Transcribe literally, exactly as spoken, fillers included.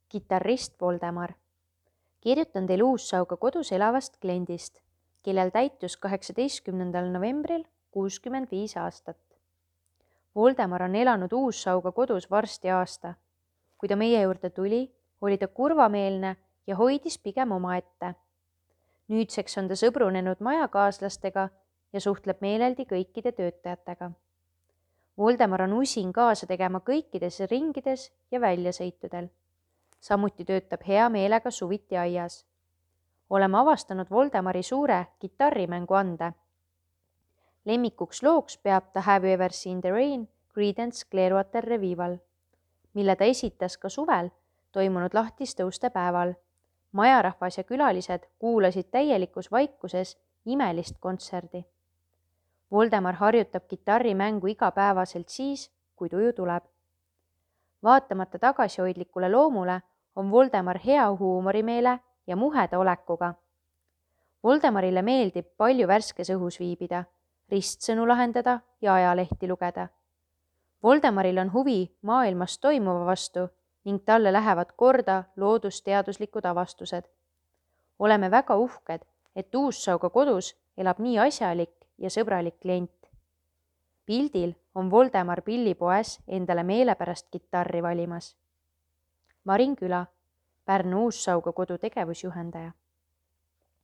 Kitarrist Voldemar. Kirjutan teile Uussauga kodus elavast kliendist, kellel täitus kaheksateistkümnendal novembril kuuskümmend viis aastat. Voldemar on elanud Uussauga kodus varsti aasta. Kui ta meie juurde tuli, oli ta kurvameelne ja hoidis pigem omaette. Nüüdseks on ta sõbrunenud majakaaslastega ja suhtleb meeleldi kõikide töötajatega. Voldemar on usin kaasa tegema kõikides ringides ja väljasõitudel. Samuti töötab hea meelega suviti aias. Oleme avastanud Voldemari suure kitarrimängu ande. Lemmikuks looks peab ta Have you ever seen the rain Creedence Clearwater Revival, mille ta esitas ka suvel toimunud lahtistõuste päeval. Majarahvas ja külalised kuulasid täielikus vaikuses imelist kontserdi. Voldemar harjutab kitarrimängu igapäevaselt siis, kui tuju tuleb. Vaatamata tagasihoidlikule loomule on Voldemar hea huumorimeele ja muheda olekuga. Voldemarile meeldib palju värskes õhus viibida, ristsõnu lahendada ja ajalehti lugeda. Voldemaril on huvi maailmas toimuva vastu ning talle lähevad korda loodusteaduslikud avastused. Oleme väga uhked, et Uussauga kodus elab nii asjalik ja sõbralik klient. Pildil on Voldemar pillipoes endale meelepärast kitarri valimas. Marin Küla, Pärnu Uussauga kodu tegevusjuhendaja.